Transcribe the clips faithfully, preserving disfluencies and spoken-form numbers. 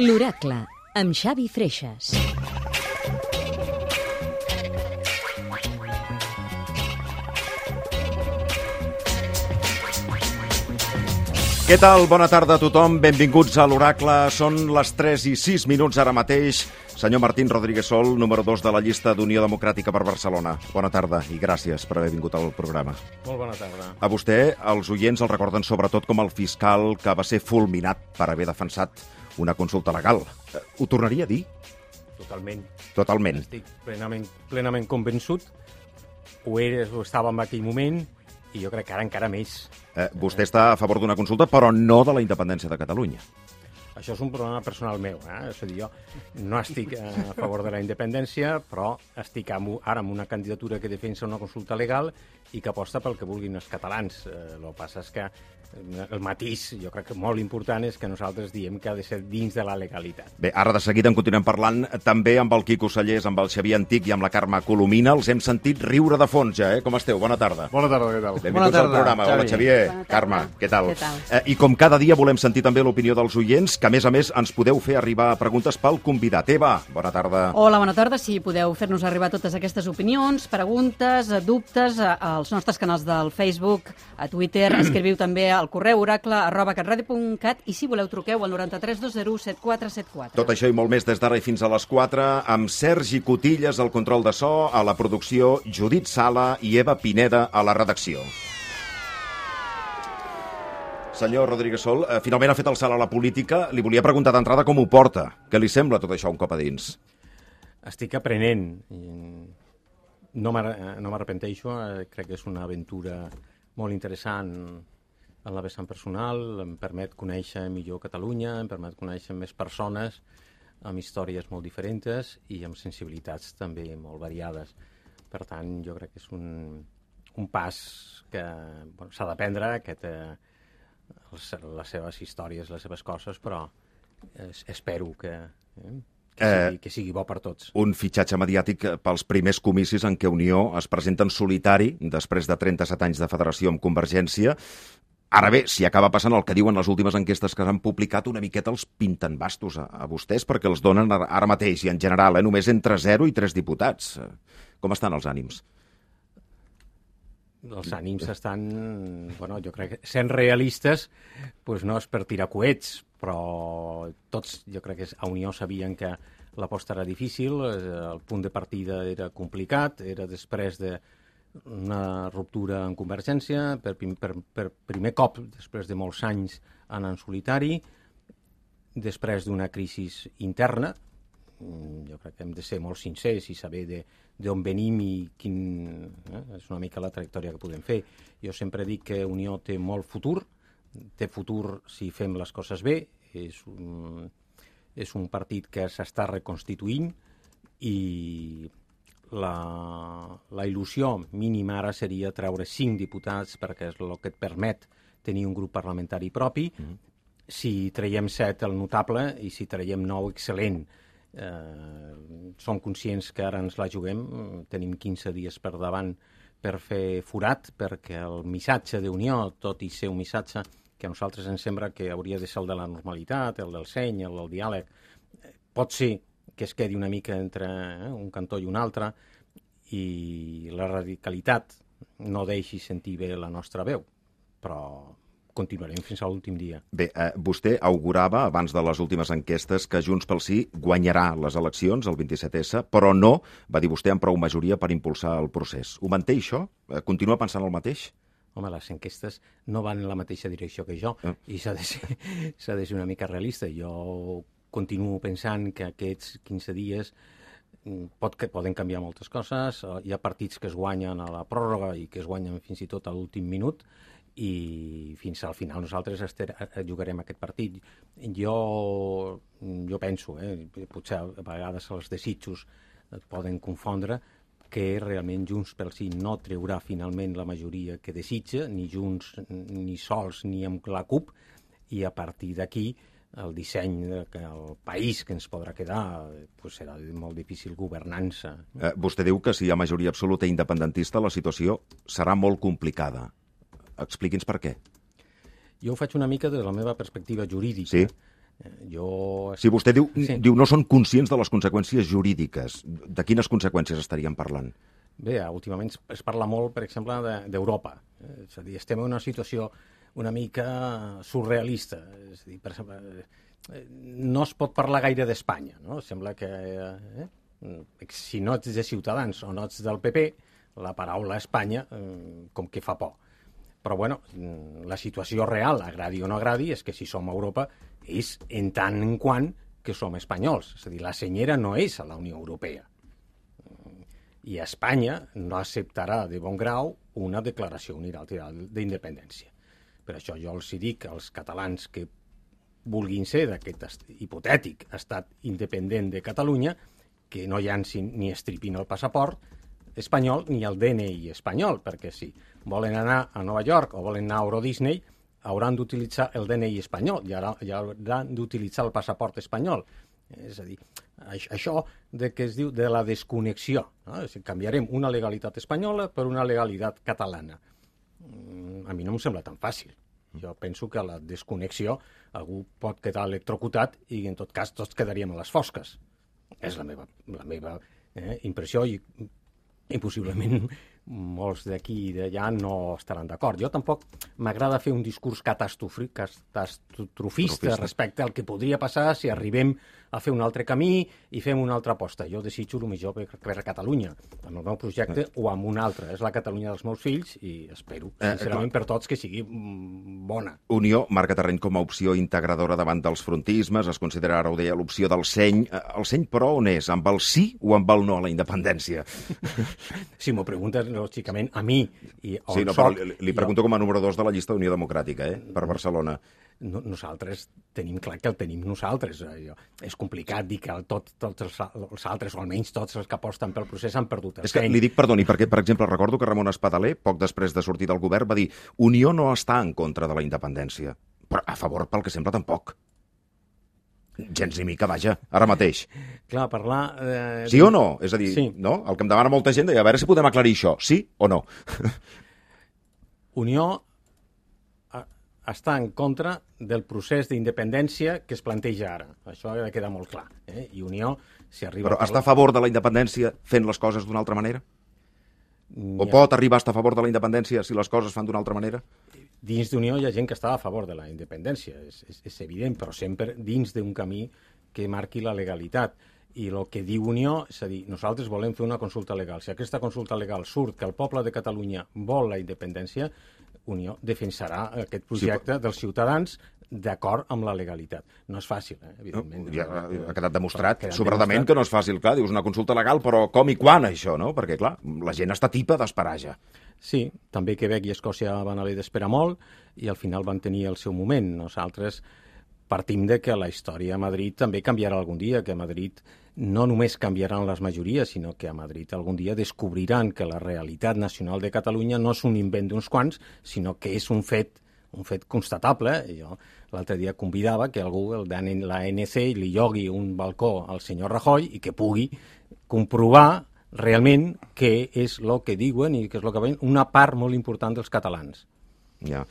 L'Oracle, amb Xavi Freixas. Què tal? Bona tarda a tothom. Benvinguts a l'Oracle. Són les tres i sis minuts ara mateix. Senyor Martín Rodríguez Sol, número dos de la llista d'Unió Democràtica per Barcelona. Bona tarda i gràcies per haver vingut al programa. Molt bona tarda. A vostè, els oients el recorden sobretot com el fiscal que va ser fulminat per haver defensat una consulta legal. Ho tornaria a dir? Totalment. Totalment. Estic plenament, plenament convençut. Ho era, ho estava en aquell moment i jo crec que ara encara més. Eh, vostè està a favor d'una consulta, però no de la independència de Catalunya. Això és un problema personal meu. Eh? És a dir, jo no estic a favor de la independència, però estic ara amb una candidatura que defensa una consulta legal i que aposta pel que vulguin els catalans. Eh, el que passa és que el matís, jo crec que molt important, és que nosaltres diem que ha de ser dins de la legalitat. Bé, ara de seguida en continuem parlant també amb el Quico Sallés, amb el Xavier Antic i amb la Carme Colomina. Els hem sentit riure de fons ja, eh? Com esteu? Bona tarda. Bona tarda, què tal? Benvinguts tarda, al programa. Xavi. Hola, Xavier. Carme, què tal? Què tal? Eh, I com cada dia volem sentir també l'opinió dels oients, que a més a més ens podeu fer arribar preguntes pel convidat. Eva, bona tarda. Hola, bona tarda. Sí, podeu fer-nos arribar totes aquestes opinions, preguntes, dubtes als nostres canals del Facebook, a Twitter. Escriviu també al correu oracle arroba catradio punt cat i si voleu truqueu al noranta-tres dos zero set quatre set quatre. Tot això i molt més des d'ara i fins a les quatre, amb Sergi Cotillas al control de so, a la producció Judit Sala i Eva Pineda a la redacció. Senyor Rodríguez Sol, eh, finalment ha fet el salt a la política. Li volia preguntar d'entrada com ho porta. Què li sembla tot això un cop a dins? Estic aprenent. No m'arrepenteixo. Crec que és una aventura molt interessant en la vessant personal. Em permet conèixer millor Catalunya, em permet conèixer més persones amb històries molt diferents i amb sensibilitats també molt variades. Per tant, jo crec que és un, un pas que bueno, s'ha d'aprendre, que té les seves històries, les seves coses, però es, espero que, eh, que, sigui, que sigui bo per tots. Un fitxatge mediàtic pels primers comicis en què Unió es presenta en solitari després de trenta-set anys de federació amb Convergència. Ara bé, si acaba passant el que diuen les últimes enquestes que s'han publicat, una miqueta els pinten bastos a, a vostès perquè els donen ara mateix i en general eh, només entre zero i tres diputats. Com estan els ànims? Els ànims estan, bueno, jo crec que sent realistes, doncs no és per tirar coets, però tots, jo crec que a Unió sabien que l'aposta era difícil, el punt de partida era complicat, era després de una ruptura en Convergència, per, per, per primer cop, després de molts anys anant en solitari, després d'una crisi interna. Jo crec que hem de ser molt sincers i saber d'on venim i quin, eh, és una mica la trajectòria que podem fer. Jo sempre dic que Unió té molt futur, té futur si fem les coses bé, és un, és un partit que s'està reconstituint i La, la il·lusió mínima ara seria treure cinc diputats perquè és el que et permet tenir un grup parlamentari propi. Mm. Si traiem set, el notable, i si traiem nou, excel·lent. Eh, som conscients que ara ens la juguem, tenim quinze dies per davant per fer forat, perquè el missatge d'Unió, tot i ser un missatge que a nosaltres ens sembla que hauria de ser el de la normalitat, el del seny, el del diàleg, pot ser que es quedi una mica entre eh, un cantó i un altre i la radicalitat no deixi sentir bé la nostra veu, però continuarem fins a l'últim dia. Bé, eh, vostè augurava abans de les últimes enquestes que Junts pel Sí guanyarà les eleccions el vint-i-set essa, però no, va dir vostè, amb prou majoria per impulsar el procés. Ho manté això? Continua pensant el mateix? Home, les enquestes no van en la mateixa direcció que jo eh. i s'ha de ser, s'ha de ser una mica realista. Jo continuo pensant que aquests quinze dies pot, que poden canviar moltes coses. Hi ha partits que es guanyen a la pròrroga i que es guanyen fins i tot a l'últim minut i fins al final nosaltres ester, jugarem aquest partit. Jo, jo penso, eh, potser a vegades els desitjos et poden confondre, que realment Junts pel Sí no treurà finalment la majoria que desitja, ni Junts ni sols ni amb la CUP, i a partir d'aquí el disseny del país que ens podrà quedar pues serà molt difícil governança. Eh, vostè diu que si hi ha majoria absoluta independentista la situació serà molt complicada. Expliqui'ns per què. Jo ho faig una mica des de la meva perspectiva jurídica. Sí? Jo... Si vostè diu, Sí. diu no són conscients de les conseqüències jurídiques, de quines conseqüències estaríem parlant? Bé, últimament es- es parla molt, per exemple, de- d'Europa. Eh, És a dir, estem en una situació una mica surrealista. És a dir, per exemple, eh, no es pot parlar gaire d'Espanya, no? Sembla que eh, si no ets de Ciutadans o no ets del P P, la paraula Espanya eh, com que fa por. Però, bueno, la situació real, agradi o no agradi, és que si som a Europa és en tant en quant que som espanyols. És a dir, la senyera no és a la Unió Europea. I Espanya no acceptarà de bon grau una declaració unilateral d'independència. Per això jo els dic als catalans que vulguin ser d'aquest hipotètic estat independent de Catalunya que no llancin ni estripin el passaport espanyol ni el D N I espanyol, perquè si volen anar a Nova York o volen anar a Euro Disney hauran d'utilitzar el D N I espanyol i ara ja hauran d'utilitzar el passaport espanyol. És a dir, això de que es diu de la desconnexió, no? És a dir, canviarem una legalitat espanyola per una legalitat catalana. A mi no em sembla tan fàcil. Jo penso que a la desconnexió algú pot quedar electrocutat i en tot cas tots quedaríem a les fosques. És la meva, la meva eh, impressió i, i possiblement molts d'aquí i d'allà no estaran d'acord. Jo tampoc m'agrada fer un discurs catastrofista respecte al que podria passar si arribem a fer un altre camí i fem una altra aposta. Jo desitjo el millor per, per a Catalunya, amb el meu projecte o amb un altre. És la Catalunya dels meus fills i espero, sincerament, eh, per tots que sigui bona. Unió marca terreny com a opció integradora davant dels frontismes, es considera, ara ho deia, l'opció del seny. El seny, però, on és? Amb el sí o amb el no a la independència? Si m'ho preguntes, lògicament, a mi... I sí, no, però li, li pregunto jo... com a número dos de la llista d'Unió Democràtica, eh, per Barcelona. No, nosaltres tenim clar que el tenim nosaltres. Jo, és complicat dir que el, tot, tots els, els altres, o almenys tots els que aposten pel procés, han perdut el És que seny. li dic perdoni, perquè, per exemple, recordo que Ramon Espadaler, poc després de sortir del govern, va dir Unió no està en contra de la independència, però a favor, pel que sembla, tampoc. Gens ni mica, vaja, ara mateix. Clar, parlar... Eh, sí o no? És a dir, sí. no? El que em demana molta gent, a veure si podem aclarir això, sí o no? Unió està en contra del procés d'independència que es planteja ara. Això ha de quedar molt clar. Eh? I Unió, si arriba... Però està a favor de la independència fent les coses d'una altra manera? O Ha... pot arribar a estar a favor de la independència si les coses fan d'una altra manera? Dins d'Unió hi ha gent que està a favor de la independència, és, és, és evident, però sempre dins d'un camí que marqui la legalitat. I el que diu Unió, és a dir, nosaltres volem fer una consulta legal. Si aquesta consulta legal surt que el poble de Catalunya vol la independència, Unió defensarà aquest projecte sí, però... dels ciutadans d'acord amb la legalitat. No és fàcil, eh? Evidentment. No, ja ha quedat demostrat, quedat sobradament, demostrat. Que no és fàcil. Clar, dius una consulta legal, però com i quan, això, no? Perquè, clar, la gent està tipa d'esperar ja. Sí, també Quebec i Escòcia van haver d'esperar molt i al final van tenir el seu moment. Nosaltres partim de que la història a Madrid també canviarà algun dia, que a Madrid no només canviaran les majories, sinó que a Madrid algun dia descobriran que la realitat nacional de Catalunya no és un invent d'uns quants, sinó que és un fet un fet constatable. Jo l'altre dia convidava que algú, el de l'A N C, li llogui un balcó al senyor Rajoy i que pugui comprovar realment què és el que diuen i què és el que veuen una part molt important dels catalans. Ja.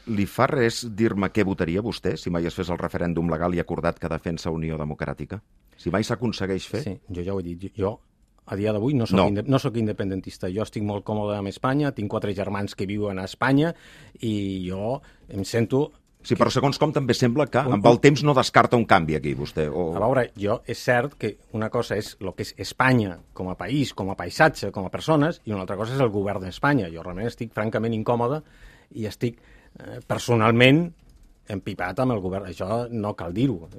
Li fa res dir-me què votaria vostè si mai es fes el referèndum legal i acordat que defensa Unió Democràtica? Si mai s'aconsegueix fer? Sí, jo ja ho he dit. Jo, a dia d'avui, no soc, no. Inde no soc independentista. Jo estic molt còmode amb Espanya, tinc quatre germans que viuen a Espanya i jo em sento... Sí, però segons com també sembla que amb el temps no descarta un canvi aquí, vostè. O... A veure, jo és cert que una cosa és el que és Espanya com a país, com a paisatge, com a persones, i una altra cosa és el govern d'Espanya. Jo realment estic francament incòmode i estic eh, personalment empipat amb el govern. Això no cal dir-ho.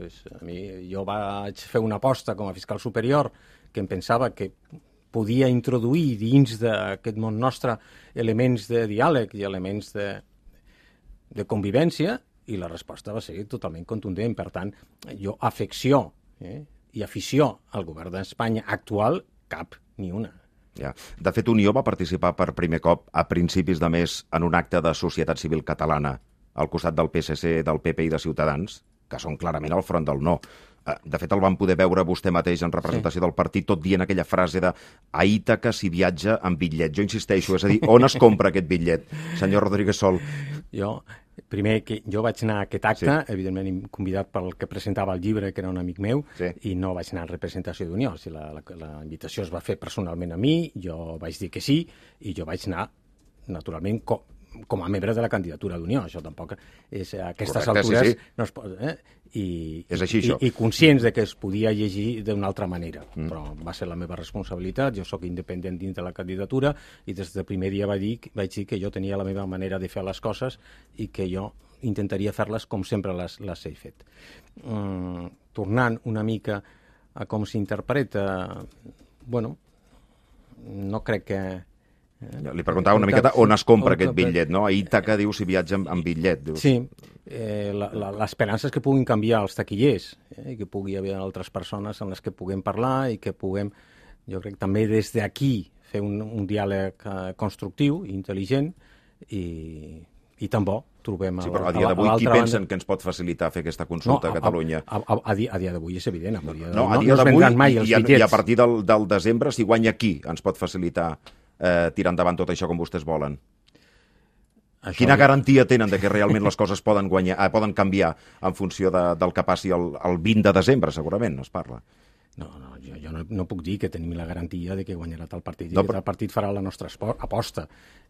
Jo vaig fer una aposta com a fiscal superior que em pensava que podia introduir dins d'aquest món nostre elements de diàleg i elements de, de convivència, i la resposta va ser totalment contundent. Per tant, jo afecció eh, i afició al govern d'Espanya actual, cap ni una. Ja. De fet, Unió va participar per primer cop a principis de mes en un acte de societat civil catalana al costat del P S C, del P P i de Ciutadans, que són clarament al front del no. De fet, el van poder veure vostè mateix en representació sí. del partit, tot dient aquella frase de a Ítaca s'hi viatja amb bitllet. Jo insisteixo, és a dir, on es compra aquest bitllet, senyor Rodríguez Sol? Jo, primer, que jo vaig anar a aquest acte, sí. evidentment convidat pel que presentava el llibre, que era un amic meu, sí. i no vaig anar en representació d'Unió. O sigui, la, la, la invitació es va fer personalment a mi, jo vaig dir que sí, i jo vaig anar, naturalment, com, com a membre de la candidatura d'Unió. Això tampoc és a aquestes Correcte, altures... Sí, sí. No es pot, eh? I, és així, i, i conscients de que es podia llegir d'una altra manera, mm. però va ser la meva responsabilitat. Jo sóc independent dins de la candidatura i des del primer dia vaig dir, vaig dir que jo tenia la meva manera de fer les coses i que jo intentaria fer-les com sempre les, les he fet. Mm, tornant una mica a com s'interpreta, bueno, no crec que... Li preguntava una miqueta on es compra aquest bitllet, no? A Ítaca diu si viatja amb, amb bitllet. Dius. Sí, eh, l'esperança és que puguin canviar els taquillers, eh, i que pugui haver altres persones amb les que puguem parlar i que puguem, jo crec, també des d'aquí fer un, un diàleg eh, constructiu, intel·ligent i, i tan bo. Trobem sí, però a dia d'avui qui pensen que ens pot facilitar fer aquesta consulta no, a, a Catalunya? A, a, a, dia, a dia d'avui és evident. A dia no, a dia d'avui no i, i, i a partir del, del desembre, si guanya qui ens pot facilitar eh, tirar endavant tot això com vostès volen? Això Quina ja... garantia tenen de que realment les coses poden guanyar, eh, poden canviar en funció de, del que passi el, el vint de desembre, segurament, es parla? No, no, jo, jo no, no puc dir que tenim la garantia de que guanyarà tal partit i no, que tal partit farà la nostra aposta.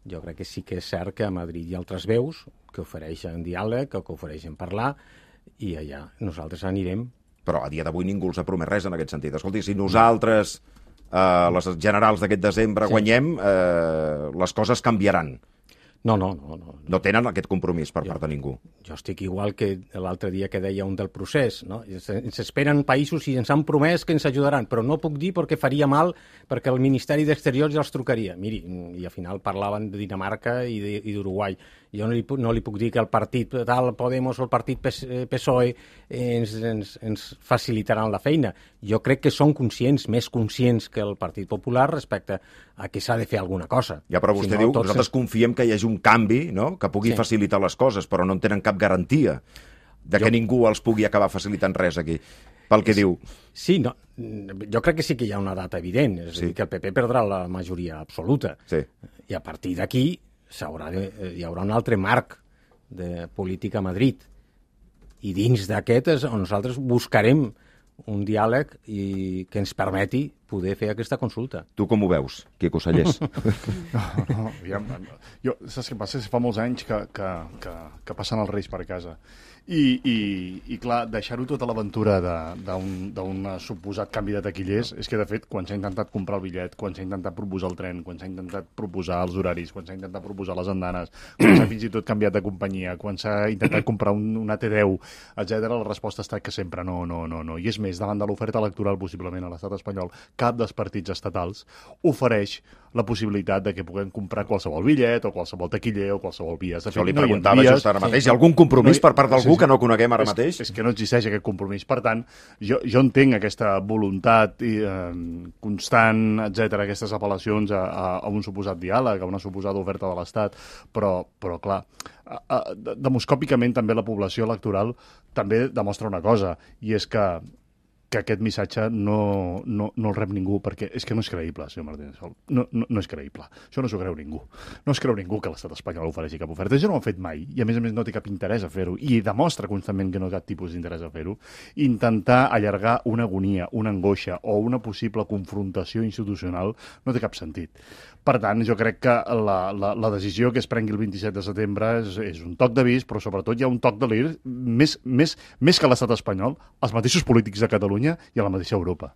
Jo crec que sí que és cert que a Madrid hi ha altres veus que ofereixen diàleg, que ofereixen parlar, i allà nosaltres anirem. Però a dia d'avui ningú els ha promès res en aquest sentit. Escolti, si nosaltres, eh, les generals d'aquest desembre, sí. guanyem, eh, les coses canviaran. No, no, no, no. No tenen aquest compromís per jo, part de ningú. Jo estic igual que l'altre dia que deia un del procés, no? Ens esperen països i ens han promès que ens ajudaran, però no puc dir perquè faria mal, perquè el Ministeri d'Exteriors ja els trucaria. Miri, i al final parlaven de Dinamarca i d'Uruguai. Jo no li, no li puc dir que el partit tal, Podemos o el partit P S O E ens, ens, ens facilitaran la feina. Jo crec que són conscients, més conscients que el Partit Popular respecte a que s'ha de fer alguna cosa. Ja, però vostè si no, diu, nosaltres es... confiem que hi hagi un canvi, no?, que pugui sí. facilitar les coses, però no en tenen cap garantia de que jo... ningú els pugui acabar facilitant res aquí, pel que sí, diu. Sí, no, jo crec que sí que hi ha una data evident, és sí. a dir, que el P P perdrà la majoria absoluta. Sí. I a partir d'aquí de, hi haurà un altre marc de política a Madrid. I dins d'aquest és on nosaltres buscarem un diàleg i que ens permeti poder fer aquesta consulta. Tu com ho veus, Quico Sallés? no, no, ja, jo, saps què passa? Fa molts anys que, que, que, que passen els Reis per casa. I, i, i clar, deixar-ho tota l'aventura d'un suposat canvi de taquillers és que, de fet, quan s'ha intentat comprar el bitllet, quan s'ha intentat proposar el tren, quan s'ha intentat proposar els horaris, quan s'ha intentat proposar les andanes, quan s'ha fins i tot canviat de companyia, quan s'ha intentat comprar un, una T deu, etcètera, la resposta ha estat que sempre no, no, no, no. I és més, davant de l'oferta electoral, possiblement, a l'estat espanyol, cap dels partits estatals ofereix la possibilitat de que puguem comprar qualsevol bitllet o qualsevol taquiller o qualsevol via. Això li preguntava just ara mateix. Hi ha algun compromís per part d'algú que no coneguem ara mateix? És, és que no existeix aquest compromís. Per tant, jo, jo entenc aquesta voluntat i, eh, constant, etcètera, aquestes apel·lacions a, a, a un suposat diàleg, a una suposada oferta de l'Estat, però, però clar, a, a, demoscòpicament també la població electoral també demostra una cosa, i és que que aquest missatge no, no, no el rep ningú, perquè és que no és creïble, senyor Martínez Sol. No, no, no és creïble. Això no s'ho creu ningú. No es creu ningú que l'estat espanyol ofereixi cap oferta. Això no ho ha fet mai, i a més a més no té cap interès a fer-ho, i demostra constantment que no té cap tipus d'interès a fer-ho. Intentar allargar una agonia, una angoixa o una possible confrontació institucional no té cap sentit. Per tant, jo crec que la, la, la decisió que es prengui el vint-i-set de setembre és, és un toc d'avís, però sobretot hi ha un toc de l'ir més, més, més que l'estat espanyol, els mateixos polítics de Catalunya i a la mateixa Europa.